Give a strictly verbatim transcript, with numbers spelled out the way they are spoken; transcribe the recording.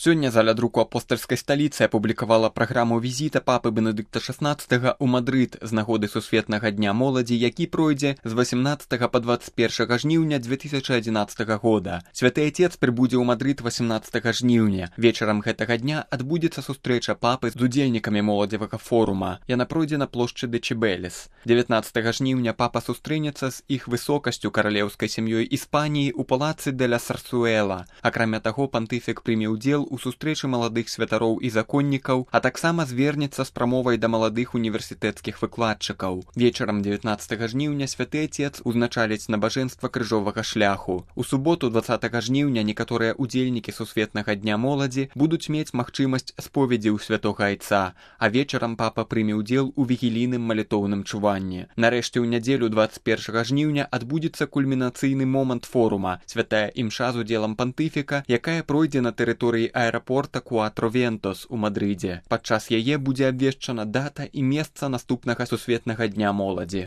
Сёння заля друку апостальскай сталіцы апублікавала праграму візіта папы Бенедыкта шаснаццатага ў Мадрыд з нагоды сусветнага дня моладзі, які пройдзе з васямнаццатага па дваццаць першага жніўня дзве тысячы адзінаццатага года. Святы Отец прыбудзе ў Мадрыд васямнаццатага жніўня. Вечарам гэтага дня адбудзецца сустрэча папы з удзельнікамі моладзевага форума. Яна пройдзе на плошчы Дечибелес. дзевятнаццатага жніўня папа сустрэнецца з іх высокасцю каралеўскай сям'ёй Іспаніі ў палацы де ля Сарсуэла. Акрамя таго, пантыфік прыме ўдзел у сустрэчы маладых святароў і законнікаў, а таксама звернецца з прамовай да маладых універсітэцкіх выкладчыкаў. Вечарам дзевятнаццатага жніўня святы Отец узначаліць набажэнства крыжовага шляху. У суботу дваццатага жніўня некаторыя удзельнікі сусветнага дня моладзі будуць мець магчымасць споведзі ў святога Айца, а вечарам папа прыме ўдзел у вігілійным малітоўным чуванні. Нарэшце ў нядзелю дваццаць першага жніўня адбудзецца кульмінацыйны момант форума, святая імша з удзелам пантыфіка, якая пройдзе на тэрыторыі аэрапорта Куатро-Вентос у Мадрыдзе. Падчас яе будзе абвешчана дата і месца наступнага сусветнага дня моладзі.